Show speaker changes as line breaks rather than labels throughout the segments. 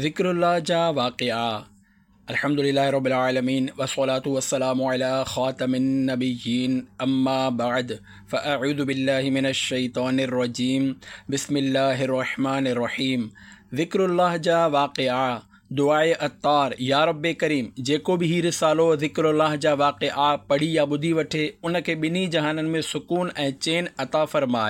ذڪر الله جا واقعا الحمد لله رب العالمين والصلاة والسلام على خاتم النبيين اما بعد فاعوذ بالله من الشيطان الرجيم بسم الله الرحمن الرحيم ذڪر الله جا واقعا دعاء عطار، يا رب ڪريم! جيڪو به هي رسالو ذڪر الله جا واقعا پڙهي يا ٻڌي وٺي، ان کي ٻنهي جهانن ۾ سڪون ۽ چين عطا فرماء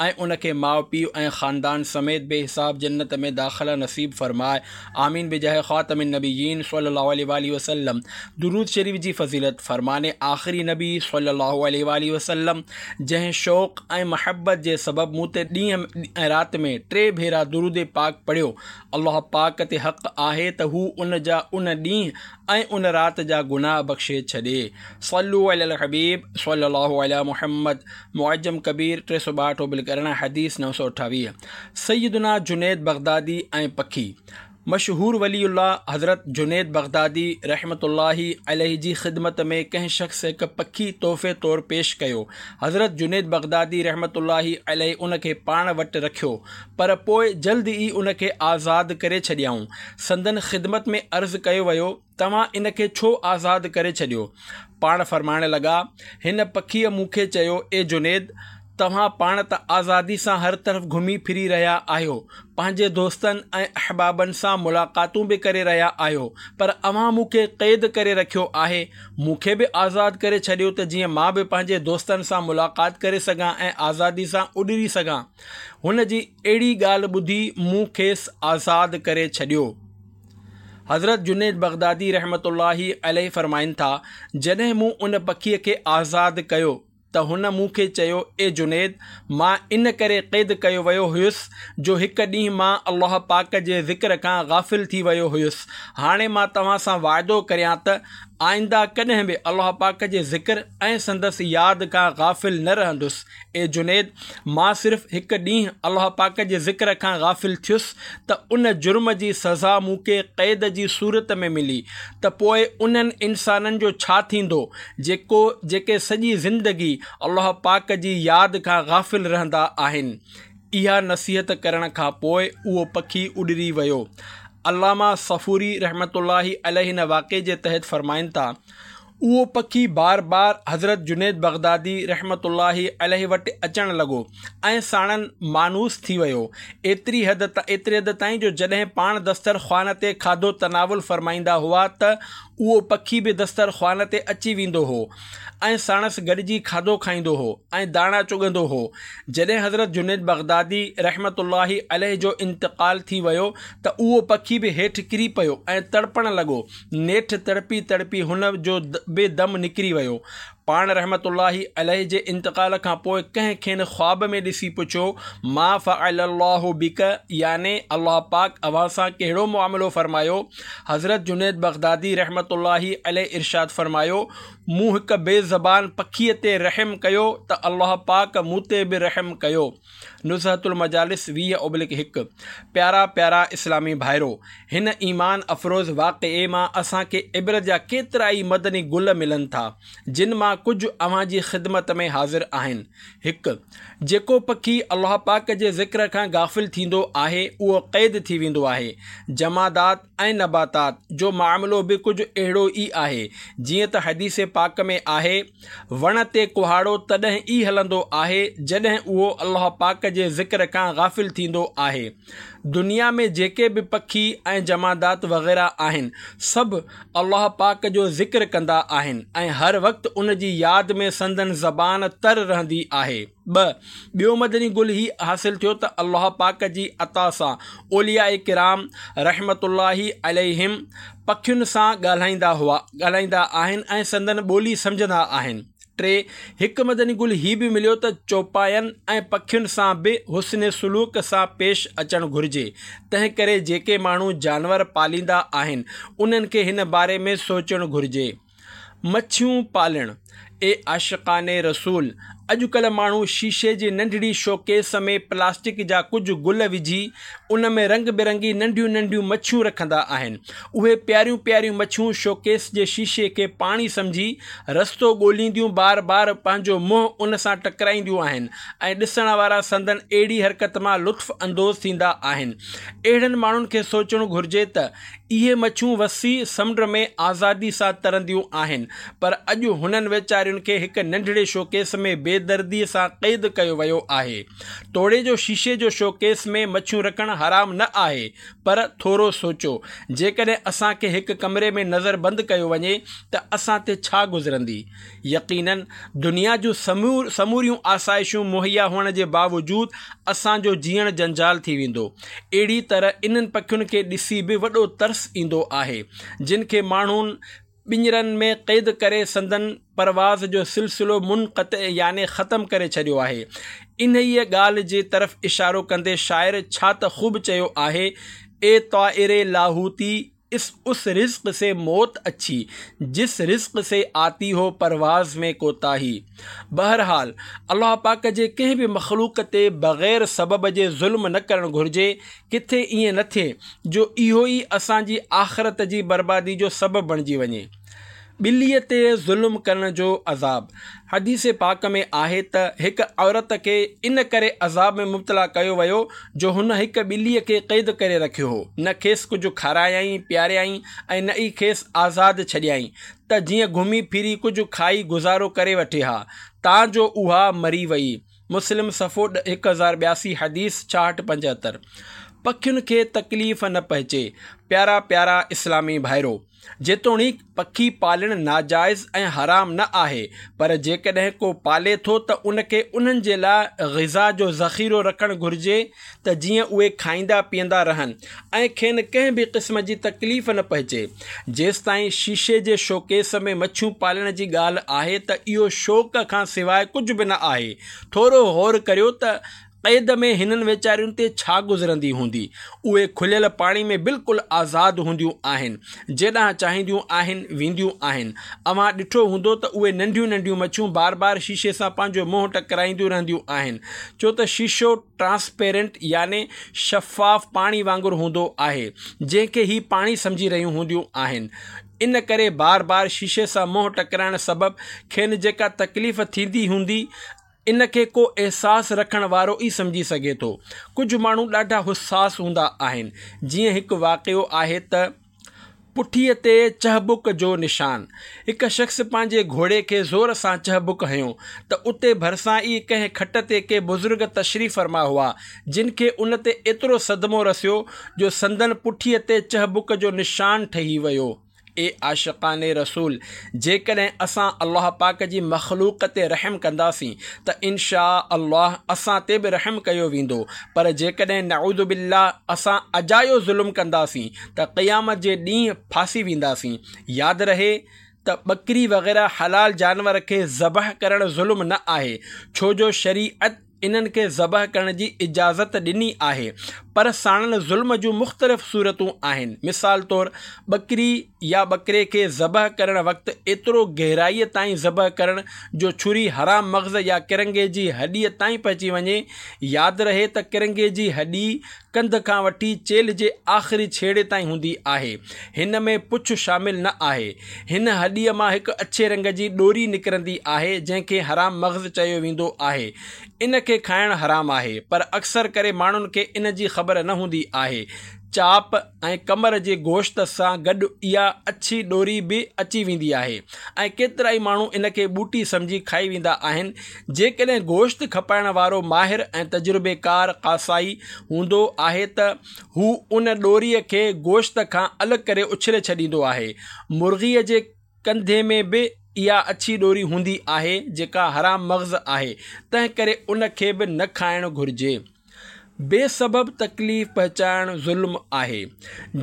۽ ان کي ماء پيء ۽ خاندان سميت بي حساب جنت ۾ داخلا نصيب فرماء. آمين بجاه خاتم النبيين صلي الله عليه واٰله وسلم درود شريف جي فضيلت، فرمان آخري نبي صلي الله عليه واٰله وسلم، جنهن شوق ۽ محبت جي سبب مون تي ڏينهن ۽ رات ۾ ٽي ڀيرا درود پاڪ پڙهيو، الله پاڪ تي حق آهي ته هو ان جا ان ڏينهن ۽ ان رات جا گناهه بخشي ڇڏي. صلو علي الحبيب صلي الله علي محمد معجم ڪبير 362 بلڪ 18 حديث 928 سيدنا جنيد بغدادي ۽ پکي مشهور ولي الله حضرت جنيد بغدادي رحمة الله عليه جي خدمت ۾ ڪنهن شخص هڪ پکي تحفي طور پيش ڪيو. حضرت جنيد بغدادي رحمة الله عليه ان کي پاڻ وٽ رکيو. پر پوء جلد ئي ان کي آزاد ڪري ڇڏيائون. سندن خدمت ۾ عرض ڪيو ويو، توهان ان کي ڇو آزاد ڪري ڇڏيو؟ پاڻ فرمائڻ لڳا، هن پکيء مون کي چيو، اي جنيد! توهان پاڻ ته آزادي سان هر طرف گهمي ڦري رهيا آهيو، پنهنجي دوستن ۽ احبابن سان ملاقاتون به ڪري رهيا آهيو، پر اوهان مون کي قيد ڪري رکيو آهي، مون کي به آزاد ڪري ڇڏيو ته جيئن مان به پنهنجي دوستن سان ملاقات ڪري سگهان ۽ آزادي سان اڏري سگهان. هن جي اهڙي ڳالهه ٻڌي مون کيس آزاد ڪري ڇڏيو. حضرت جنيد بغدادي رحمة الله عليه فرمائن ٿا، جڏهن مون ان پکيء کي آزاد ڪيو ته هن مون کي چيو، اي جنيد! مان ان ڪري قيد ڪيو ويو هيس جو هڪ ڏينهن مان الله پاڪ جي ذڪر کان غافل ٿي ويو هيس، هاڻي مان توهان سان وعدو ڪريان ته آئنده ڪڏهن به الله پاڪ جي ذڪر ۽ سندس ياد کان غافل نه رهندس. اي جنيد! مان صرف هڪ ڏينهن الله پاڪ جي ذڪر کان غافل ٿيس ته ان جرم جي سزا مون کي قيد جي صورت ۾ ملي ته پوء انهن انسانن جو ڇا ٿيندو جيڪو جيڪي سڄي زندگي الله پاڪ جي ياد کان غافل رهندا آهن. اها نصيحت ڪرڻ کان پوء اهو پکي اڏري ويو. علامه صفوري رحمة الله عليه هن واقعي جي تحت فرمائن ٿا. اهو پکي بار بار حضرت جنيد بغدادي رحمة الله عليه وٽ اچڻ لڳو ۽ ساڻن مانوس ٿي ويو، ايتري حد ايتري حد تائين جو جڏهن پاڻ دستر خوان تي کاڌو تناول فرمائيندا هئا ته اهو پکي به دستر خوان تي اچي ويندو هو ۽ ساڻس گڏجي کاڌو کائيندو هو ۽ داڻا چڳندو هو. جڏهن حضرت جنيد بغدادي رحمة الله عليه جو انتقال ٿي ويو ته اهو پکي به هيٺ ڪري پيو ۽ تڙپڻ لڳو. نيٺ تڙپي تڙپي هن جو به دم نڪري ويو. پاڻ رحمة الله عليه جي انتقال کان پوء ڪنهن کين خواب ۾ ڏسي پڇيو، ما فعل الله بڪ يعني الله پاڪ اوهان سان ڪهڙو معاملو فرمايو؟ حضرت جنيد بغدادي رحمة الله عليه ارشاد فرمايو، مون هڪ بي زبان پکيء تي رحم ڪيو ته الله پاڪ مون تي به رحم ڪيو. نزهة المجالس 20/1 پيارا پيارا اسلامي ڀائرو! هن ايمان افروز واقعي مان اسان کي عبرت جا ڪيترائي مدني گل ملن ٿا، جن مان ڪجهه اوهان جي خدمت ۾ حاضر آهن. هڪ. جيڪو پکي الله پاڪ جي ذڪر کان غافل ٿيندو آهي، اهو قيد ٿي ويندو آهي. جمادات ۽ نباتات جو معاملو به ڪجهه اهڙو ئي آهي، جيئن ته حديث پاڪ ۾ آهي، وڻ تي ڪهاڙو تڏهن ئي هلندو آهي جڏهن اهو الله پاڪ جي ذڪر کان غافل ٿيندو آهي. دنيا ۾ جيڪي به پکي ۽ جمادات وغيره آهن سڀ الله پاڪ جو ذڪر ڪندا آهن ۽ هر وقت ان جي ياد ۾ سندن زبان تر رهندي آهي. ٻه، ٻيو مدني گل هي حاصل ٿيو ته الله پاڪ جي عطا سان اولياء ڪرام رحمة الله عليهم پکين سان ڳالهائيندا هئا ڳالهائيندا آهن ۽ سندن ٻولي سمجهندا آهن. ٽي، هڪ مدني گل هي به مليو ته چوپاين ۽ پکين سان به حسن سلوڪ سان پيش اچڻ گهرجي، تنهنڪري جيڪي ماڻهو جانور پاليندا آهن انهن کي هن باري ۾ سوچڻ گهرجي. مڇيون پالڻ، اي عاشقان رسول! اڄڪلهه ماڻهو شيشي جي ننڍڙي شوڪيس ۾ پلاسٽڪ جا ڪجهه گل وجهي ان ۾ رنگ برنگي ننڍيون ننڍيون مڇيون رکندا آهن. اهي پياريون پياريون مڇيون شوڪيس جي شيشي کي پاڻي سمجهي رستو ڳولينديون بار بار پنهنجو منهن ان سان ٽڪرائينديون آهن ۽ ڏسڻ وارا سندن اهڙي حرڪت مان لطف اندوز ٿيندا آهن. اهڙن ماڻهن کي سوچڻ گهرجي ته اهي مڇيون وسيع سمنڊ ۾ آزادي سان ترنديون آهن، پر اڄ هنن ويچارين کي هڪ ننڍڙي شوڪيس ۾ بيدرديء سان قيد ڪيو ويو آهي. توڙي جو شيشي جو شوڪيس ۾ مڇيون رکڻ حرام نه آهي، پر ٿورو سوچو، جيڪڏهن اسان کي هڪ ڪمري ۾ نظر بند ڪيو وڃي ته اسان تي ڇا گذرندي؟ يقيناً دنيا جون سموريون آسائشون مهيا هئڻ جي باوجود اسان جو جيئڻ جنجال ٿي ويندو. اهڙي طرح انهن پکين کي ڏسي به وڏو ترس ايندو آهي، جن کي ماڻهن پڃرن ۾ قيد ڪري سندن پرواز جو سلسلو منقطع يعني ختم ڪري ڇڏيو آهي. انهيء ڳالهه جي طرف اشارو ڪندي شاعر ڇا ته خوب چيو آهي، اي طائر لاهوتي! اس اس رزق سي موت اڇي، جس رزق سي آتي هو پرواز ۾ ڪوتاهي. بهرحال الله پاڪ جي ڪنهن به مخلوق تي بغير سبب جي ظلم نه ڪرڻ گهرجي، ڪٿي ائين نه ٿئي جو اهو ئي اسان جي آخرت جي بربادي جو سبب بڻجي وڃي. ٻليء تي ظلم ڪرڻ جو عذاب، حديث پاڪ ۾ آهي ته هڪ عورت کي ان ڪري عذاب ۾ مبتلا ڪيو ويو جو هن هڪ ٻليء کي قيد ڪري رکيو هو، نه کيس ڪجهه کارايائين پياريائين ۽ نه ئي کيس آزاد ڇڏيائين ته جيئن گهمي ڦري ڪجهه کائي گذارو ڪري وٺي ها، تان جو اها مري ويئي. مسلم صفحو 1082 حديث 66 75. پکين کي تڪليف نه پهچي. پيارا پيارا اسلامي ڀائرو! جيتوڻيڪ پکي پالڻ ناجائز ۽ حرام نه آهي، پر جيڪڏهن ڪو پالي ٿو ته ان کي انهن جي لاء غذا جو ذخيرو رکڻ گهرجي ته جيئن اهي کائيندا پيئندا رهن ۽ کين ڪنهن به قسم جي تڪليف نه پهچي. جيستائين شيشي جي شوڪيس ۾ مڇيون پالڻ جي ڳالهه آهي ته اهو شوق کان سواء ڪجهه به نه آهي. ٿورو غور ڪريو ته قيد ۾ هنن ويچارين تي ڇا گذرندي هوندي؟ اهي کليل پاڻي ۾ بلڪل آزاد هونديون آهن. جيڏانهن چاهينديون آهن، وينديون آهن. اوهان ڏٺو هوندو ته اهي ننڍيون ننڍيون مڇيون بار بار شيشي سان پنهنجو منهن ٽڪرائينديون رهنديون آهن. ڇو ته شيشو ٽرانسپيرنٽ يعني شفاف پاڻي وانگر هوندو آهي، جنهن کي هي پاڻي سمجهي رهيون هونديون آهن. ان ڪري بار بار شيشي سان منهن ٽڪرائڻ سبب کين جيڪا تڪليف ٿيندي هوندي، ان کي ڪو احساس رکڻ وارو ئي سمجهي سگهي ٿو. ڪجهه ماڻهو ڏاڍا حساس هوندا آهن. جيئن هڪ واقعو آهي ته پٺيء تي چهبڪ جو نشان. هڪ شخص پنهنجي گهوڙي کي زور سان چهبڪ هنيو ته اتي ڀرسان ئي ڪنهن کٽ تي ڪي بزرگ تشريف فرما هئا، جن کي ان تي ايترو صدمو رسيو جو سندن پٺيء تي چهبڪ جو نشان ٺهي ويو. اي عاشقان رسول! جيڪڏهن اسان الله پاڪ جي مخلوق تي رحم ڪنداسين ته ان شآء الله اسان تي به رحم ڪيو ويندو پر جيڪڏهن نعوذ بالله اسان اجايو ظلم ڪنداسين ته قيامت جي ڏينهن ڦاسي وينداسين. ياد رهي ته ٻڪري وغيره حلال جانور کي ذبح ڪرڻ ظلم نه آهي ڇو جو شريعت انهن کي ذبح ڪرڻ جي اجازت ڏني آهي پر ساڻن ظلم جون مختلف صورتون آهن مثال طور ٻڪري يا ٻڪري کي ذبح ڪرڻ وقت ايترو گهرائيء تائين ذبح ڪرڻ جو ڇري حرام مغز يا ڪرنگهي جي هڏيء تائين پهچي وڃي ياد رهي ته ڪرنگهي جي هڏي ڪنڌ کان وٺي چيلهه جي آخري ڇيڙي تائين هوندي آهي. هن ۾ پڇ شامل نه آهي. هن هڏيء مان هڪ اڇي رنگ جي ڏوري نڪرندي آهي، جنهن کي حرام مغز چيو ويندو آهي. ان کي کائڻ حرام آهي، پر اڪثر ڪري ماڻهن کي ان جي خبر نه هوندي آهي. چاپ ۽ ڪمر جي گوشت سان گڏ اها اڇي ڏوري به اچي ويندي آهي ۽ ڪيترائي ماڻهو ان کي ٻوٽي سمجهي کائي ويندا آهن. جيڪڏهن گوشت کپائڻ وارو ماهر ۽ تجربيڪار قصائي هوندو آهي ته هو ان ڏوريء کي گوشت کان الڳ ڪري اڇلي ڇڏيندو آهي. مرغيء جي ڪنڌي ۾ به اها اڇي ڏوري هوندي آهي جيڪا حرام مغز آهي، تنهنڪري ان کي به نه کائڻ گهرجي. بي سبب تڪليف پهچائڻ ظلم آهي.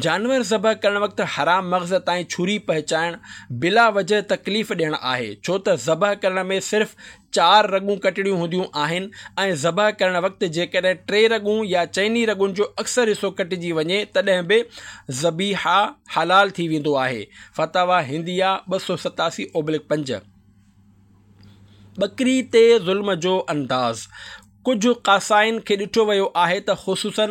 جانور ذبح ڪرڻ وقت حرام مغز تائين ڇري پهچائڻ بلا وجه تڪليف ڏيڻ آهي، ڇو ته ذبح ڪرڻ ۾ صرف چار رڳون ڪٽڻيون هونديون آهن ۽ ذبح ڪرڻ وقت جيڪڏهن ٽي رڳون يا چئني رڳن جو اڪثر حصو ڪٽجي وڃي تڏهن به ذبيحه حلال ٿي ويندو آهي. فتاويٰ هنديه 287 اوبلڪ 5. ٻڪري تي ظلم جو انداز، ڪجهه قاصائين کي ڏٺو ويو آهي ته خصوصاً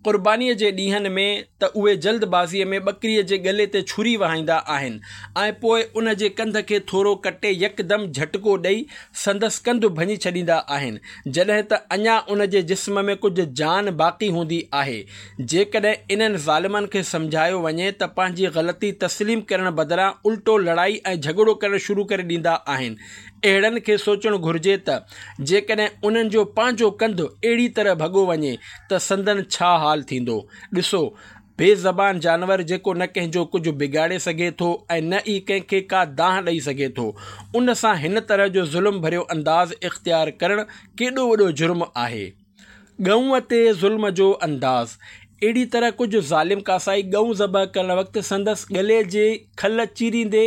قربانيء جي ڏينهن ۾ ته اهي جلد بازيء ۾ ٻڪريء جي ڳلي تي ڇري وهائيندا آهن ۽ پوء ان جي ڪنڌ کي ٿورو ڪٽي يڪدم جهٽڪو ڏئي سندس ڪنڌ ڀڃي ڇڏيندا آهن جڏهن ته اڃا ان جي جسم ۾ ڪجهه جان باقي هوندي آهي. جيڪڏهن انهن ظالمن کي سمجهايو وڃي ته پنهنجي غلطي تسليم ڪرڻ بدران الٽو لڙائي ۽ جهڳڙو ڪرڻ شروع ڪري ڏيندا آهن. اهڙن کي سوچڻ گهرجي ته جيڪڏهن انهن جو پنهنجو ڪنڌ اهڙي طرح ڀڳو وڃي ته سندن ڇا حال ٿيندو؟ ڏسو، بي زبان جانور جيڪو نه ڪنهن جو ڪجهه بگاڙي سگهي ٿو ۽ نه ئي ڪنهن کي ڪا دانهن ڏئي سگهي ٿو، ان سان هن طرح جو ظلم ڀريو انداز اختيار ڪرڻ ڪيڏو وڏو جرم آهي. ڳئونء تي ظلم جو انداز، اهڙي طرح ڪجهه ظالم ڪاسائي ڳئون ذبح ڪرڻ وقت سندس ڳلي جي کل چيريندي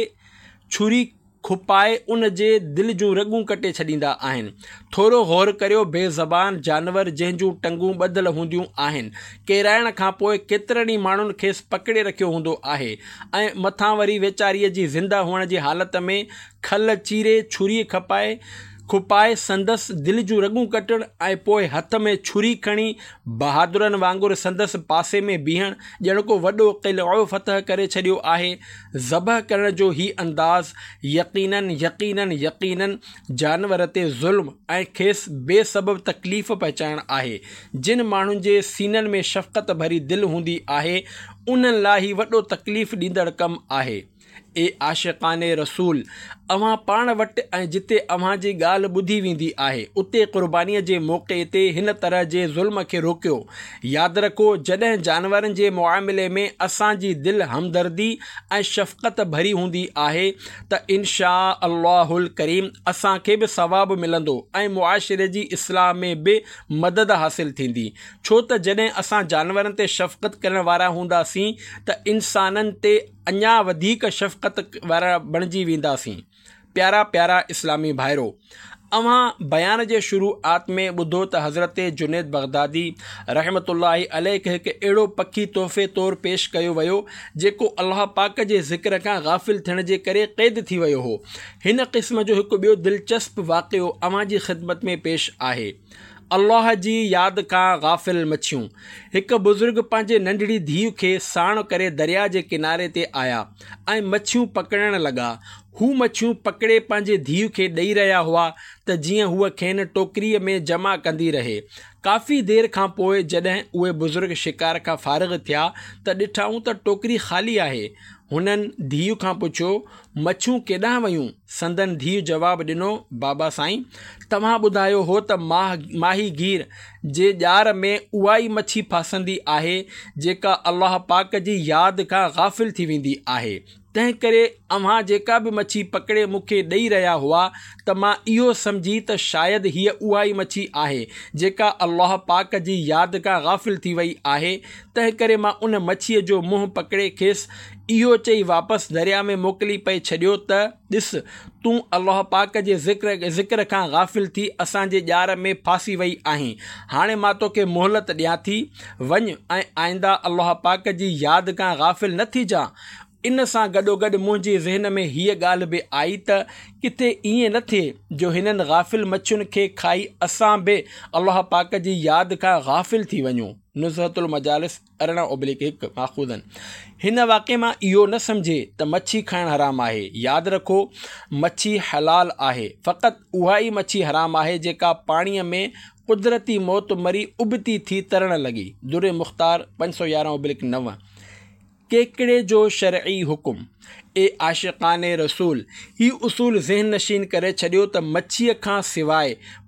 ڇري کپائي ان جي دل جون رڳون ڪٽي ڇڏيندا آهن. ٿورو غور ڪريو بي زبان جانور جنهن جون ٽنگون ٻڌل هونديون آهن، ڪيرائڻ کان پوء ڪيترن ئي ماڻهن کيس پڪڙي رکيو هوندو آهي ۽ مٿان وري ويچاري جي زنده هئڻ جي حالت ۾ کل چيري ڇري کپائي کپائي سندس دل جون رڳون ڪٽڻ ۽ پوء هٿ ۾ ڇري کڻي بهادرن وانگر سندس پاسي ۾ بيهڻ ڄڻ ڪو وڏو قلعو فتح ڪري ڇڏيو آهي. ذبح ڪرڻ جو هي انداز يقيناً يقيناً يقيناً جانور تي ظلم ۽ کيس بي سبب تڪليف پهچائڻ آهي. جن ماڻهن جي سينن ۾ شفقت ڀري دل هوندي آهي انهن لاء هي وڏو تڪليف ڏيندڙ ڪم آهي. اي عاشقان رسول! اوهان پاڻ وٽ ۽ جتي اوهان جي ڳالهه ٻڌي ويندي آهي، اتي قربانيء جي موقعي تي هن طرح جي ظلم کي روڪيو. ياد رکو، جڏهن جانورن جي معاملي ۾ اسان جي دل همدردي ۽ شفقت ڀري هوندي آهي ته ان شآء الله الڪريم اسان کي به ثواب ملندو ۽ معاشري جي اصلاح ۾ به مدد حاصل ٿيندي. ڇو ته جڏهن اسان جانورن تي شفقت ڪرڻ وارا هونداسين ته انسانن تي اڃا وڌيڪ شفقت وارا بڻجي وينداسين. پيارا پيارا اسلامي ڀائرو! اوهان بيان جي شروعات ۾ ٻڌو ته حضرت جنيد بغدادي رحمة الله عليه کي هڪ اهڙو پکي تحفي طور پيش ڪيو ويو جيڪو الله پاڪ جي ذڪر کان غافل ٿيڻ جي ڪري قيد ٿي ويو هو. هن قسم جو هڪ ٻيو دلچسپ واقعو اوهان جي خدمت ۾ پيش آهي. الله جي ياد کان غافل مڇيون. هڪ بزرگ پنهنجي ننڍڙي ڌيء کي ساڻ ڪري درياء جي ڪناري تي آيا ۽ مڇيون پڪڙڻ لڳا. هو مڇيون پڪڙي پنهنجي ڌيء کي ڏئي رهيا هئا ته جيئن هوء کين ٽوڪريء ۾ جمع ڪندي رهي. ڪافي دير کان پوء جڏهن اهي بزرگ شڪار کان فارغ ٿيا ته ڏٺائون ته ٽوڪري خالي آهي. هنن ڌيء کان پڇيو، مڇيون ڪيڏانهن ويون؟ سندن ڌيء جواب ڏنو، بابا سائين! توهان ٻڌايو هو ته ماهيگير جي ڄار ۾ اها ئي مڇي ڦاسندي آهي، جيڪا الله پاڪ جي ياد کان غافل ٿي ويندي آهي. تنهنڪري اوهان جيڪا به مڇي پڪڙي مون کي ڏئي رهيا هئا ته مان اهو سمجهي ته شايد هيء اها ئي مڇي آهي، جيڪا الله پاڪ جي ياد کان غافل ٿي وئي آهي، تنهنڪري مان ان مڇيء جو منهن پڪڙي کيس اهو چئي واپس درياء ۾ موڪلي پئي ڇڏيو ته، ڏس، تون الله پاڪ جي ذڪر کان غافل ٿي اسان جي ڄار ۾ ڦاسي وئي آهين، هاڻي مان توکي مهلت ڏيان ٿي، وڃ ۽ آئنده الله پاڪ جي ياد کان غافل نه ٿجان. ان سان گڏوگڏ منهنجي ذهن ۾ هيء ڳالهه به آئي ته ڪٿي ائين نه ٿئي جو هنن غافل مڇين کي کائي اسان به الله پاڪ جي ياد کان غافل ٿي وڃون. نزهة المجالس 18/1 ماخوذاً هن واقعي مان اهو نه سمجهي ته مڇي کائڻ حرام آهي. ياد رکو مڇي حلال آهي فقط اها ئي مڇي حرام آهي جيڪا پاڻيء ۾ قدرتي موت مري ابتي ٿي ترڻ لڳي. در مختار 511/9. ڪيڪڙي جو شرعي حڪم، اي عاشقان رسول! هي اصول ذهن نشين ڪري ڇڏيو ته مڇيء کان سواء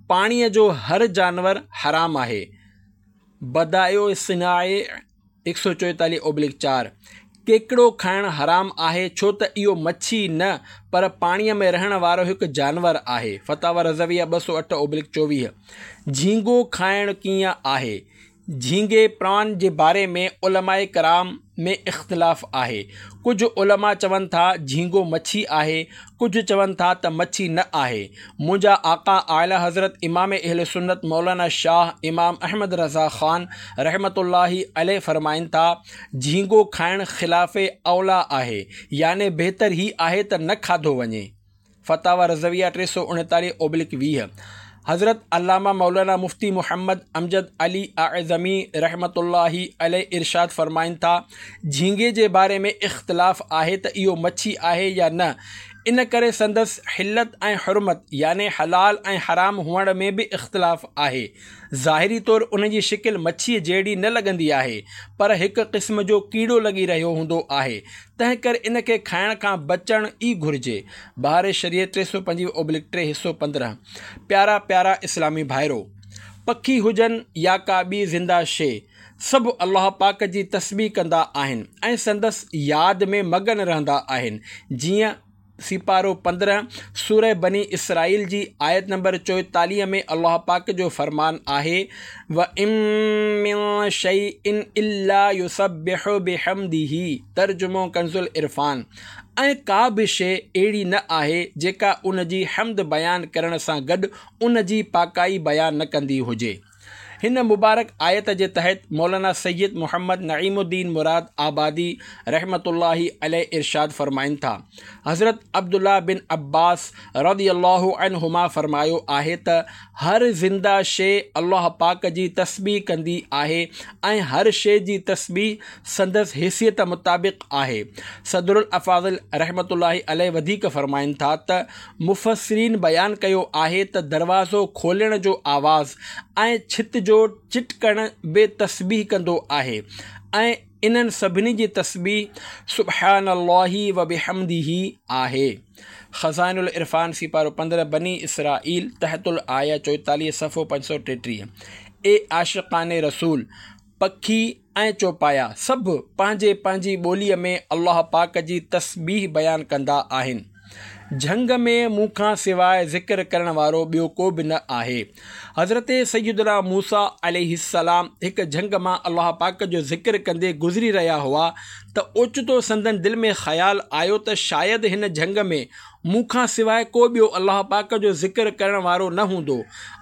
پاڻيء جو هر جانور حرام آهي. بدائع الصنائع 144/4 ڪيڪڙو کائڻ حرام آهي ڇو ته اهو مڇي نه پر پاڻيء ۾ رهڻ وارو هڪ جانور آهي. فتاويٰ رضويه 208/24 جهينگو کائڻ ڪيئن آهي؟ جهينگي پران جي باري ۾ علماء ڪرام ۾ اختلاف آهي. ڪجهه علماء چون ٿا جهينگو مڇي آهي، ڪجهه چون ٿا ته مڇي نه آهي. منهنجا آقا اعليٰ حضرت امام اهل سنت مولانا شاهه امام احمد رضا خان رحمة الله عليه فرمائن ٿا، جهينگو کائڻ خلاف اوليٰ آهي، يعني بهتر هي آهي ته نه کاڌو وڃي. فتاويٰ رضويه 339/20. حضرت علامه مولانا مفتي محمد امجد علي اعظمي رحمة الله عليه ارشاد فرمائن ٿا، جهينگي جي باري ۾ اختلاف آهي ته اهو مڇي آهي يا نه، ان ڪري سندس حلت ۽ حرمت يعني حلال ۽ حرام هئڻ ۾ به اختلاف آهي. ظاهري طور ان جي شڪل مڇيء جهڙي نه لڳندي آهي، پر هڪ قسم جو ڪيڙو لڳي رهيو هوندو آهي، تنهنڪري ان کي کائڻ کان بچڻ ئي گهرجي. بهار شريعت 325/3 حصو 15. پيارا پيارا اسلامي ڀائرو! پکي هجن يا ڪا ٻي زنده شيء، سڀ الله پاڪ جي تسبيح ڪندا آهن ۽ سندس ياد ۾ مگن رهندا آهن. جيئن سيپارو 15 سوره بني اسرائيل جي آيت نمبر 44 ۾ الله پاڪ جو فرمان آهي، وَإِن مِّن شَيْءٍ إِلَّا يُسَبِّحُ بِحَمْدِهِ ترجمو ڪنزالعرفان، ۽ ڪا به شيء اهڙي نه آهي جيڪا ان جي حمد بيان ڪرڻ سان گڏ ان جي پاڪائي بيان نه ڪندي هجي. هن مبارڪ آيت جي تحت مولانا سيد محمد نعيم الدين مراد آبادي رحمة الله عليه ارشاد فرمائن ٿا، حضرت عبدالله بن عباس رضي الله عنهما فرمايو آهي ته هر زنده شيء الله پاڪ جي تسبيح ڪندي آهي ۽ هر شيء جي تسبيح سندس حيثيت مطابق آهي. صدر الافاضل رحمة الله عليه وڌيڪ فرمائن ٿا ته مفسرين بيان ڪيو آهي ته دروازو کولڻ جو آواز ۽ ڇت جو چٽڪڻ به تسبيح ڪندو آهي ۽ انهن سڀني جي تسبيح سبحان الله وبحمده آهي. خزائن العرفان سيپارو 15 بني اسرائيل تحت الآيه 44 صفحو 533 اي عاشقان رسول! پکي ۽ چوپايا سڀ پنهنجي پنهنجي ٻوليء ۾ الله پاڪ جي تسبيح بيان ڪندا آهن. جهنگ ۾ مون کان سواء ذڪر ڪرڻ وارو ٻيو ڪو به نه آهي. حضرت سيدنا موسيٰ عليه السلام هڪ جهنگ مان الله پاڪ جو ذڪر ڪندي گذري رهيا هئا ته اوچتو سندن دل ۾ خيال آيو ته شايد هن جهنگ ۾ مون کان سواء ڪو ٻيو الله پاڪ جو ذڪر ڪرڻ وارو نه هوندو.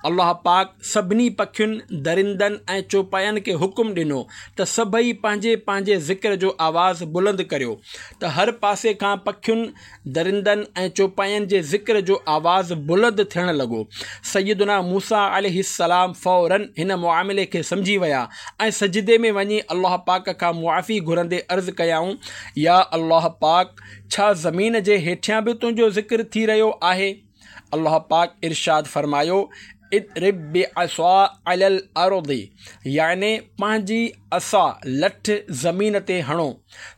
الله پاڪ سڀني پکين، درندن ۽ چوپاين کي حڪم ڏنو ته سڀئي پنهنجي پنهنجي ذڪر جو آواز بلند ڪريو ته هر پاسي کان پکين، درندن ۽ چوپاين جي ذڪر جو آواز بلند ٿيڻ لڳو. سيدنا موسيٰ عليه السلام فوراً هن معاملي کي سمجهي ويا ۽ سجدي ۾ وڃي الله پاڪ کان معافي گهرندي عرض ڪيائون، يا الله پاڪ! ڇا زمين جي هيٺيان به تنهنجو ذڪر ٿي رهيو آهي؟ الله پاڪ ارشاد فرمايو، اضرب بعصاک علي الارض يعني پنهنجي عصا، لٺ، زمين تي هڻو.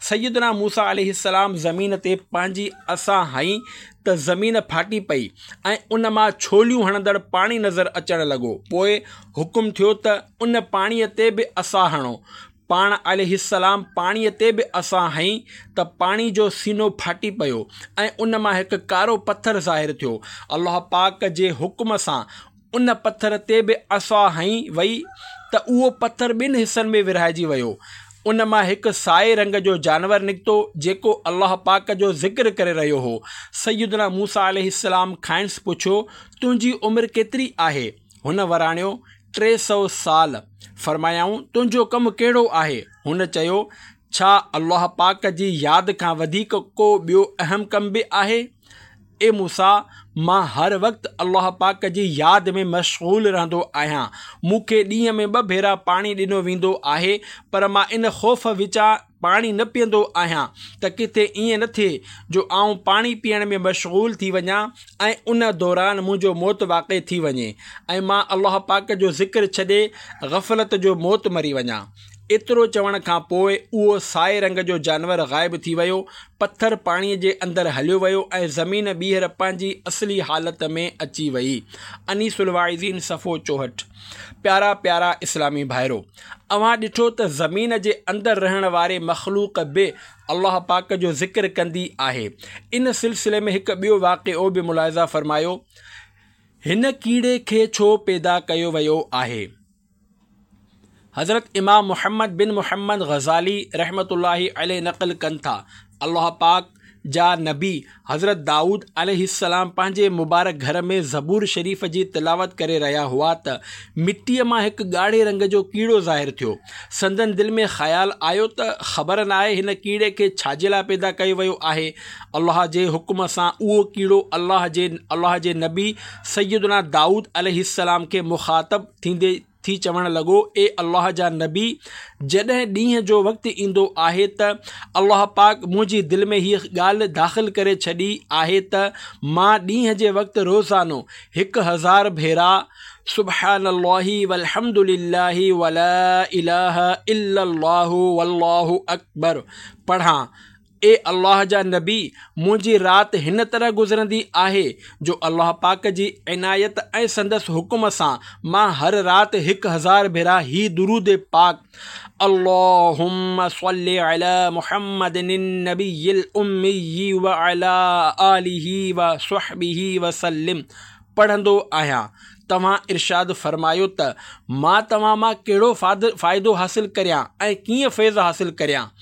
سيدنا موسيٰ عليه السلام زمين تي پنهنجي عصا هنئي ته زمين ڦاٽي پئي ۽ ان مان ڇوليون هڻندڙ پاڻي نظر اچڻ لڳو. پوء حڪم ٿيو ته ان پاڻيء تي به عصا هڻو. پاڻ عليه السلام پاڻيء تي به عصا هنئي ته پاڻي جو سينو ڦاٽي پيو ۽ ان مان هڪ ڪارو پٿر ظاهر ٿيو. الله پاڪ جي حڪم سان ان پٿر تي به عصا هنئي وئي ته اهو پٿر ٻن حصن ۾ ورهائجي ويو. ان مان هڪ سائي رنگ جو جانور نڪتو جيڪو الله پاڪ جو ذڪر ڪري رهيو هو. سيدنا موسيٰ عليه السلام کانئس پڇيو، تنهنجي عمر ڪيتري آهي؟ هن وراڻيو، 300 سال. فرمايائون، تنهنجو ڪم ڪهڙو آهي؟ هن چيو، ڇا الله پاڪ جي ياد کان وڌيڪ ڪو ٻيو اهم ڪم به آهي؟ اي موسيٰ! مان هر وقت الله پاڪ جي ياد ۾ مشغول رهندو آهيان. مون کي ڏينهن ۾ ٻه ڀيرا پاڻي ڏنو ويندو آهي، پر مان ان خوف وچان پاڻي نه پيئندو آهيان ته ڪٿي ائين نه ٿئي جو آئون پاڻي پيئڻ ۾ مشغول ٿي وڃان ۽ ان دوران منهنجو موت واقع ٿي وڃي ۽ مان الله پاڪ جو ذڪر ڇڏي غفلت جو موت مري وڃان. ايترو چوڻ کان پوء اهو سائي رنگ جو جانور غائب ٿي ويو، پٿر پاڻيء جي اندر هليو ويو ۽ زمين ٻيهر پنهنجي اصلي حالت ۾ اچي وئي. انيس الواعظين صفحو 64. پيارا پيارا اسلامي ڀائرو! اوهان ڏٺو ته زمين جي اندر رهڻ واري مخلوق به الله پاڪ جو ذڪر ڪندي آهي. ان سلسلي ۾ هڪ ٻيو واقعو به ملاحظه فرمايو. هن ڪيڙي کي ڇو پيدا ڪيو ويو آهي؟ حضرت امام محمد بن محمد غزالي رحمة الله عليه نقل ڪن ٿا، الله پاڪ جا نبي حضرت دائود عليه السلام پنهنجي مبارڪ گهر ۾ زبور شريف جي تلاوت ڪري رهيا هئا ته مٽيء مان هڪ ڳاڙهي رنگ جو ڪيڙو ظاهر ٿيو. سندن دل ۾ خيال آيو ته خبر ناهي هن ڪيڙي کي ڇا جي لاء پيدا ڪيو ويو آهي. الله جي حڪم سان اهو ڪيڙو الله جي الله جي نبي سيدنا دائود عليه السلام کي مخاطب ٿيندي ٿي چوڻ لڳو، اي الله جا نبي! جڏهن ڏينهن جو وقت ايندو آهي ته الله پاڪ منهنجي دل ۾ هيء ڳالهه داخل ڪري ڇڏي آهي ته مان ڏينهن جي وقت روزانو 1000 ڀيرا سبحان الله والحمد لله ولا اله الا الله والله اڪبر پڙهان اي الله جا نبي! منهنجي رات هن طرح گذرندي آهي جو الله پاڪ جي عنايت ۽ سندس حڪم سان مان هر رات 1000 ڀيرا هي درود پاڪ اللهم صل علي محمد النبي الامي وعلي آله وصحبه وسلم پڙهندو آهيان. توهان ارشاد فرمايو ته مان توهان مان ڪهڙو فائدو حاصل ڪريان ۽ ڪيئن فيض حاصل ڪريان؟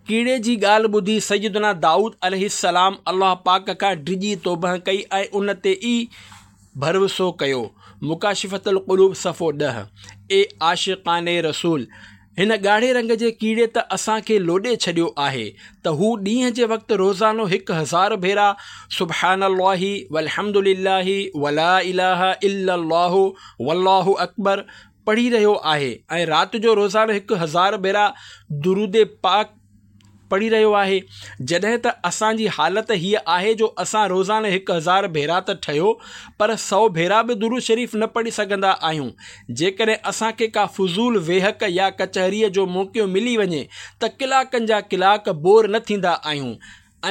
ڪيڙي جي ڳالهه ٻڌي سيدنا دائود عليه السلام الله پاڪ کان ڊڄي توبهه ڪئي ۽ ان تي ئي ڀروسو ڪيو. مڪاشفة القلوب صفحو 10. اي عاشقان رسول! هن ڳاڙهي رنگ جي ڪيڙي ته اسان کي لوڏي ڇڏيو آهي ته هو ڏينهن جي وقت روزانو 1000 ڀيرا سبحان الله والحمد لله ولا اله الا الله والله اڪبر پڙهي رهيو آهي ۽ رات جو روزانو 1000 ڀيرا درود پاڪ پڙهي رهيو آهي جڏهن ته اسان جي حالت هيء آهي جو اسان روزانو 1000 ڀيرا ته ٺهيو پر سئو ڀيرا به درود شريف نه پڙهي سگهندا آهيون. جيڪڏهن اسان کي ڪا فضول ويهڪ يا ڪچهريء جو موقعو ملي وڃي ته ڪلاڪن جا ڪلاڪ بور نه ٿيندا آهيون.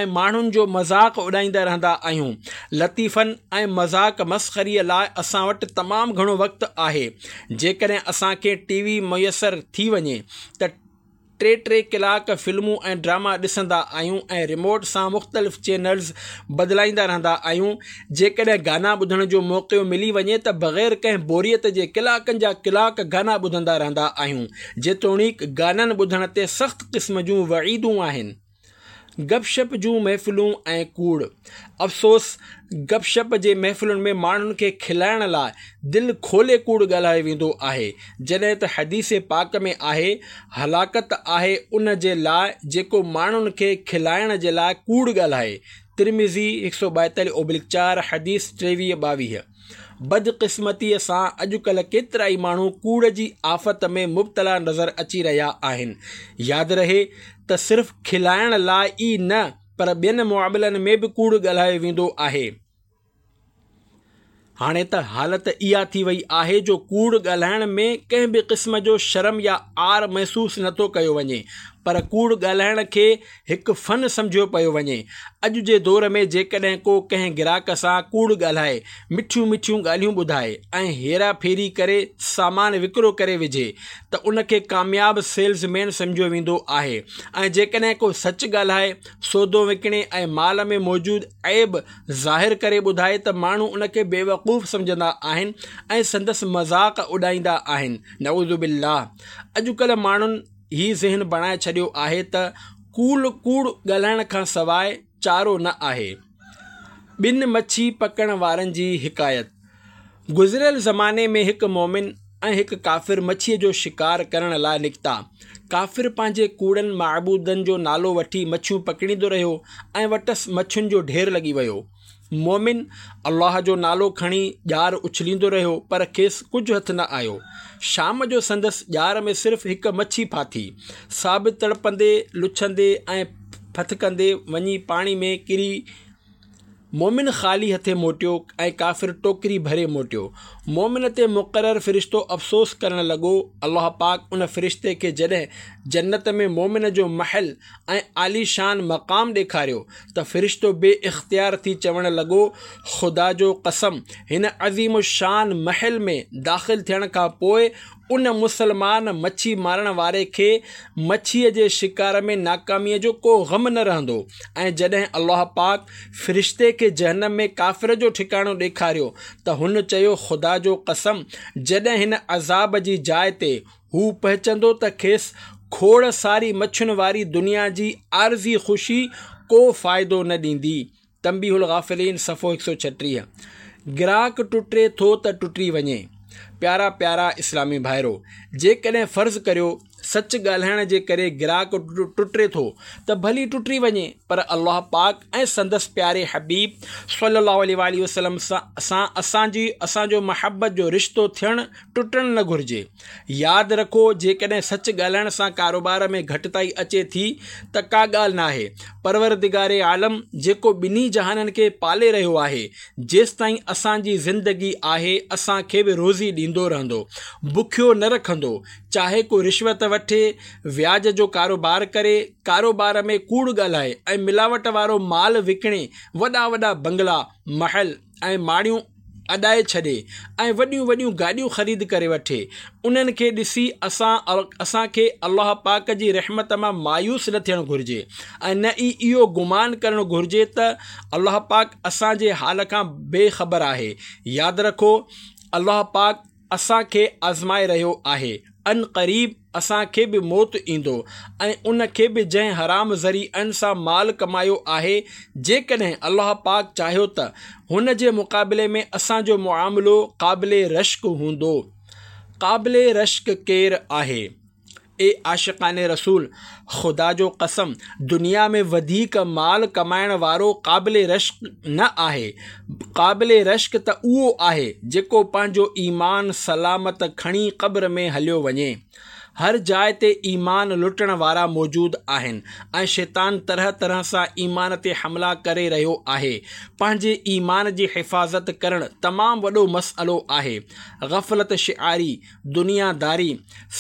۽ ماڻهن جو مذاق اڏائيندا رهندا آهيون. لطيفن ۽ مذاق مسخريء لاء اسان وٽ تمام گهڻو وقت آهي. جيڪڏهن اسان کي ٽي وي ميسر ٿي وڃي ته ٽي ٽي ڪلاڪ فلمون ۽ ڊراما ڏسندا آهيون ۽ ريموٽ سان مختلف چينلز بدلائيندا رهندا آهيون. جيڪڏهن گانا ٻڌڻ جو موقعو ملي وڃي ته بغير ڪنهن بوريت جي ڪلاڪن جا ڪلاڪ گانا ٻڌندا رهندا آهيون. جيتوڻيڪ گانن ٻڌڻ تي سخت قسم جون وعيدون آهن. گپ شپ جون محفلون ۽ ڪوڙ. افسوس گپ شپ جي محفلن ۾ ماڻهن کي کلائڻ لاء دل کولي ڪوڙ ڳالهايو ويندو آهي، جڏهن ته حديث پاڪ ۾ آهي، هلاڪت آهي ان جي لاء جيڪو ماڻهن کي کلائڻ جي لاء ڪوڙ ڳالهائي، ترمذي 142/4 حديث 23 22. بدقسمتيء سان اڄڪلهه ڪيترائي ماڻهو ڪوڙ جي آفت ۾ مبتلا نظر اچي رهيا آهن. ياد رهي ته صرف کلائڻ لاء ئي نه پر ٻين معاملن ۾ به ڪوڙ ڳالهايو ويندو آهي. هاڻي ته حالت اها ٿي وئي آهي جو ڪوڙ ڳالهائڻ ۾ ڪنهن به قسم جو شرم يا عار محسوس نٿو ڪيو وڃي پر ڪوڙ ڳالهائڻ کي هڪ فن سمجهيو پيو وڃي. اڄ جي دور ۾ جيڪڏهن ڪو ڪنهن گراهڪ سان ڪوڙ ڳالهائي، مٺيون مٺيون ڳالهيون ٻڌائي ۽ هيرا ڦيري ڪري سامان وڪرو ڪري وجهي ته ان کي ڪامياب سيلز مين سمجهيو ويندو آهي ۽ جيڪڏهن ڪو سچ ڳالهائي، سودو وڪڻي ۽ مال ۾ موجود عيب ظاهر ڪري ٻڌائي ته ماڻهو ان کي بيوقوف سمجهندا آهن ۽ سندس مذاق اڏائيندا آهن. نعوذ بالله اڄڪلهه ماڻهن. هي ذهن بڻائي ڇڏيو آهي ته ڪوڙ ڪوڙ ڳالهائڻ کان سواء چارو نه آهي. ٻن مڇي پڪڙڻ وارن جي حڪايت. گذريل زماني ۾ هڪ مؤمن ۽ هڪ ڪافر مڇيء جو شڪار ڪرڻ لاء نڪتا. ڪافر پنهنجي ڪوڙن معبودن جو نالو وٺي مڇيون پڪڙيندو رهيو ۽ وٽس مڇين جو ڍير لڳي ويو. مؤمن الله جو نالو کڻي ڄار اڇليندو رهيو پر کيس ڪجهه هٿ نه آيو. شام جو سندس ڄار ۾ صرف هڪ مڇي ڦاٿي، سا به تڙپندي، لڇندي ۽ ڦٿڪندي وڃي پاڻي ۾ ڪري. مؤمن خالي هٿين موٽيو ۽ ڪافر ٽوڪري ڀري موٽيو. مؤمن تي مقرر فرشتو افسوس ڪرڻ لڳو. الله پاڪ ان فرشتي کي جڏهن جنت ۾ مؤمن جو محل ۽ عاليشان مقام ڏيکاريو ته فرشتو بي اختيار ٿي چوڻ لڳو، خدا جو قسم! هن عظيم الشان محل ۾ داخل ٿيڻ کان پوء ان مسلمان مڇي مارڻ واري کي مڇيء جي شڪار ۾ ناڪاميء جو ڪو غم نه رهندو ۽ جڏهن الله پاڪ فرشتي کي جهنم ۾ ڪافر جو ٺڪاڻو ڏيکاريو ته هن چيو، خدا جو قسم! جڏهن هن عذاب جي جاء تي هو پهچندو ته کيس کوڙ ساري مڇين واري دنيا جي عارضي خوشي ڪو فائدو نه ڏيندي. تنبيه الغافلين صفحو 136. گراهڪ ٽٽي ٿو ته ٽٽي وڃي. پيارا پيارا اسلامي ڀائرو! جيڪڏهن فرض ڪريو سچ ڳالهائڻ جي ڪري گراهڪ ٽٽي ٿو ته ڀلي ٽٽي وڃي پر الله پاڪ ۽ سندس پياري حبيب صلي الله عليه واٰله وسلم سان اسان جي اسان جو محبت جو رشتو ٿيڻ ٽٽڻ نه گهرجي. ياد رکو جيڪڏهن سچ ڳالهائڻ سان ڪاروبار ۾ گهٽتائي اچي ٿي ته ڪا ڳالهه ناهي. پروردگار عالم جيڪو ٻنهي جهانن کي پالي رهيو آهي، جيستائين اسان جي زندگي آهي اسان کي به روزي ڏيندو رهندو، بکيو نه رکندو. چاهي ڪو رشوت وٺي، وياج جو ڪاروبار ڪري، ڪاروبار ۾ ڪوڙ ڳالهائي ۽ ملاوٽ وارو مال وڪڻي وڏا وڏا بنگلا، محل ۽ ماڙيون اڏائي ڇڏي ۽ وڏيون وڏيون گاڏيون خريد ڪري وٺي، انهن کي ڏسي اسان اسان کي الله پاڪ جي رحمت مان مايوس نه ٿيڻ گهرجي ۽ نه ئي اهو گمان ڪرڻ گهرجي ته الله پاڪ اسان جي حال کان بي خبر آهي. ياد رکو! الله پاڪ اسان کي آزمائي رهيو آهي، عنقريب اسان کي به موت ايندو ۽ ان کي به جنهن حرام ذريعن سان مال ڪمايو آهي، جيڪڏهن الله پاڪ چاهيو ته هن جي مقابلي ۾ اسان جو معاملو قابل رشڪ هوندو. قابل رشڪ ڪير آهي؟ اي عاشقان رسول! خدا جو قسم! دنيا ۾ وڌيڪ مال ڪمائڻ وارو قابل رشڪ نه آهي، قابل رشڪ ته اهو آهي جيڪو پنهنجو ايمان سلامت کڻي قبر ۾ هليو وڃي. هر جاء تي ايمان لٽڻ وارا موجود آهن ۽ شيطان طرح طرح سان ايمان تي حملا ڪري رهيو آهي. پنهنجي ايمان جي حفاظت ڪرڻ تمام وڏو مسئلو آهي. غفلت شعاري، دنيا داري،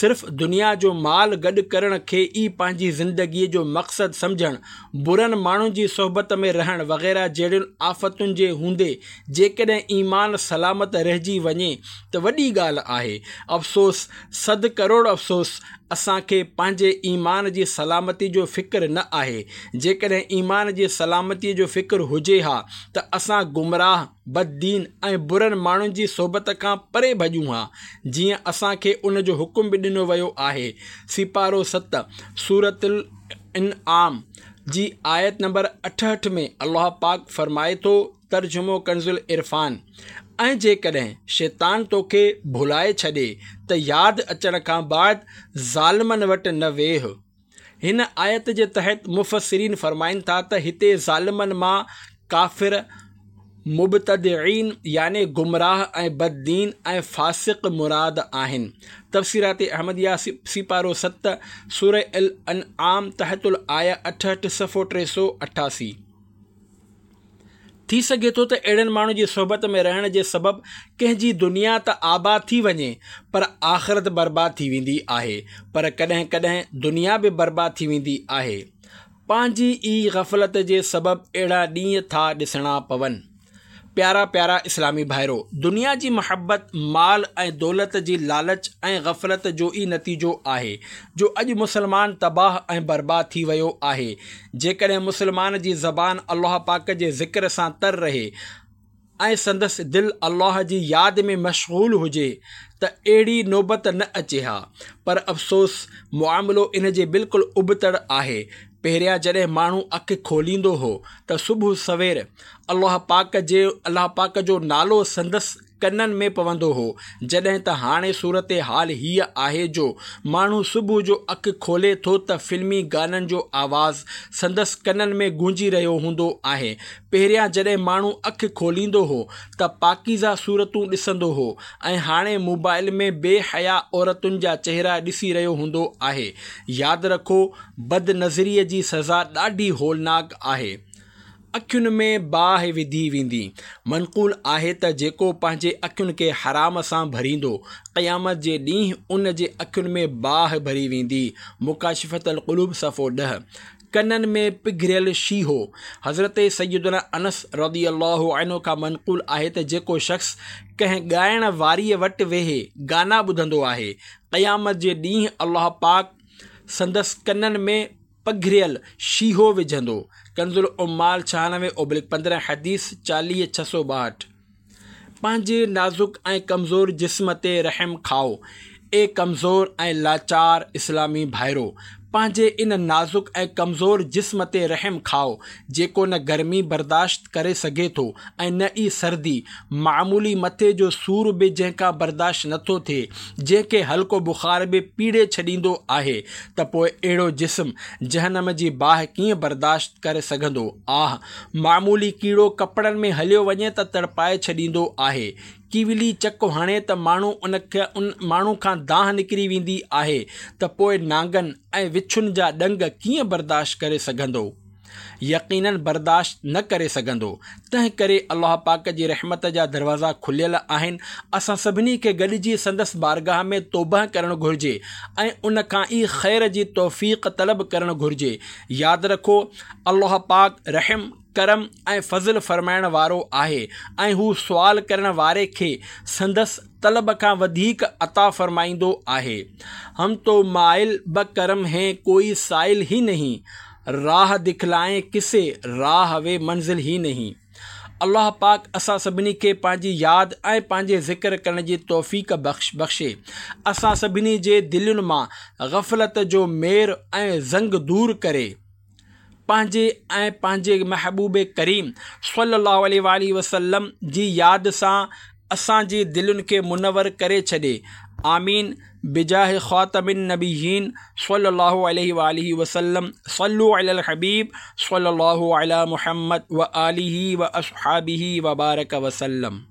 صرف دنيا جو مال گڏ ڪرڻ کي ئي پنهنجي زندگيء جو مقصد سمجهڻ، برن ماڻهن جي صحبت ۾ رهڻ وغيره جهڙين آفتن جي هوندي جيڪڏهن ايمان سلامت رهجي وڃي ته وڏي ڳالهه آهي. افسوس، صد ڪروڙ افسوس، اسان کي پنهنجي ايمان جي سلامتي جو فڪر نه آهي. جيڪڏهن ايمان جي سلامتيء جو فڪر هجي ها ته اسان گمراهه، بددين ۽ برن ماڻهن جي صحبت کان پري ڀڄون ها، جيئن اسان کي ان جو حڪم به ڏنو ويو آهي. سيپارو ست، سورة الانعام جي آيت نمبر 68 ۾ الله پاڪ فرمائي ٿو، ترجمو ڪنزالعرفان، ۽ جيڪڏهن شيطان توکي ڀلائي ڇڏي ته ياد اچڻ کان بعد ظالمن وٽ نه ويهه. هن آيت جي تحت مفسرين فرمائن ٿا ته هتي ظالمن مان ڪافر، مبتدعين يعني گمراهه ۽ بددين ۽ فاسق مراد آهن. تفسيرات احمديه سيپارو ست، سوره الانعام تحت الايه 68 صفحو 388. ٿي سگهي ٿو ته اهڙن ماڻهن جي صحبت ۾ رهڻ جي سبب ڪنهن جي دنيا ته آباد ٿي وڃي پر آخرت برباد ٿي ويندي آهي پر ڪڏهن ڪڏهن دنيا به برباد ٿي ويندي آهي. پنهنجي ئي غفلت جي سبب اهڙا ڏينهن ٿا ڏسڻا پون. پيارا پيارا اسلامي ڀائرو! دنيا جي محبت، مال ۽ دولت جي لالچ ۽ غفلت جو ئي نتيجو آهي جو اڄ مسلمان تباهه ۽ برباد ٿي ويو آهي. جيڪڏهن مسلمان جي زبان الله پاڪ جي ذڪر سان تر رهي ۽ سندس دل الله جي ياد ۾ مشغول هجي ته اهڙي نوبت نه اچي ها پر افسوس معاملو ان جي بلڪل ابتڙ آهي. پهريان جڏهن ماڻهو اک کوليندو هو ته صبح سوير الله پاڪ جي الله پاڪ جو نالو سندس ڪنن ۾ پوندو هو، جڏهن ته هاڻي صورتحال هيء آهي جو ماڻهو صبح جو اک کولي ٿو ته فلمي گانن جو آواز سندس ڪنن ۾ گونجي رهيو هوندو آهي. پهريان جڏهن ماڻهو اک کوليندو هو ته پاڪيزه صورتون ڏسندو هو ۽ هاڻي موبائل ۾ بي حيا عورتن جا چهرا ڏسي رهيو هوندو آهي. ياد رکو بدنظريء جي سزا ڏاڍي هولناڪ آهي. اکين ۾ باهه وڌي ويندي. منقول آهي ته جيڪو پنهنجي اکين کي حرام سان ڀريندو، قيامت جي ڏينهن ان جي اکين ۾ باهه ڀري ويندي. مڪاشفة القلوب صفحو ڏهه. ڪنن ۾ پگهريل شيهو. حضرت سيدنا انس رضي الله عنه کان منقول آهي ته جيڪو شخص ڪنهن ڳائڻ واري وٽ ويهي گانا ٻڌندو آهي، قيامت جي ڏينهن الله پاڪ سندس ڪنن ۾ پگهريل شيهو وجهندو. ڪنزالعمال ڇهانوي اوبلڪ 15 حديث 40 662. پنهنجي نازڪ ۽ ڪمزور جسم تي رحم کائو. اي ڪمزور ۽ لاچار اسلامي ڀائرو! پنهنجي ان نازڪ ۽ ڪمزور جسم تي رحم کائو، جيڪو نه گرمي برداشت ڪري سگهي ٿو ۽ نه ئي سردي، معمولي مٿي جو سور به جنهن کان برداشت نه ٿو ٿئي، جنهن کي هلڪو بخار به پيڙي ڇڏيندو آهي ته پوء اهڙو جسم جهنم جي باهه ڪيئن برداشت ڪري سگهندو؟ آه! معمولي ڪيڙو ڪپڙن ۾ هليو وڃي ته تڙپائي ڇڏيندو آهي. ڪيولي چڪ هڻي ته ماڻهو ان کي ان ماڻهو کان دانهن نڪري ويندي آهي ته پوء نانگن ۽ وڇن جا ڏنگ ڪيئن برداشت ڪري سگهندو؟ يقيناً برداشت نه ڪري سگهندو. تنهن ڪري الله پاڪ جي رحمت جا دروازا کليل آهن، اسان سڀني کي گڏجي سندس بارگاهه ۾ توبهه ڪرڻ گهرجي ۽ ان کان ئي خير جي توفيق طلب ڪرڻ گهرجي. ياد رکو! الله پاڪ رحم، ڪرم ۽ فضل فرمائڻ وارو آهي ۽ هو سوال ڪرڻ واري کي سندس طلب کان وڌيڪ عطا فرمائيندو آهي. هم تو مائل به ڪرم هين ڪوئي سائل هي نهين، راهه دکلائين ڪسي راهه وي منزل هي نهين. الله پاڪ اسان سڀني کي پنهنجي ياد ۽ پنهنجي ذڪر ڪرڻ جي توفيق بخشي. اسان سڀني جي دلين مان غفلت جو مير ۽ زنگ دور ڪري. پنهنجي ۽ پنهنجي محبوب ڪريم صلّي اللّٰه عليه واٰله وسلّم جي ياد سان اسان جي دلين کي منور ڪري ڇڏي آمين بجاه خاتم النبيين صلّي اللّٰه عليه واٰله وسلّم صلّو علي الحبيب صلّي اللّٰه علي محمد واٰله واصحابه وبارڪ وسلّم.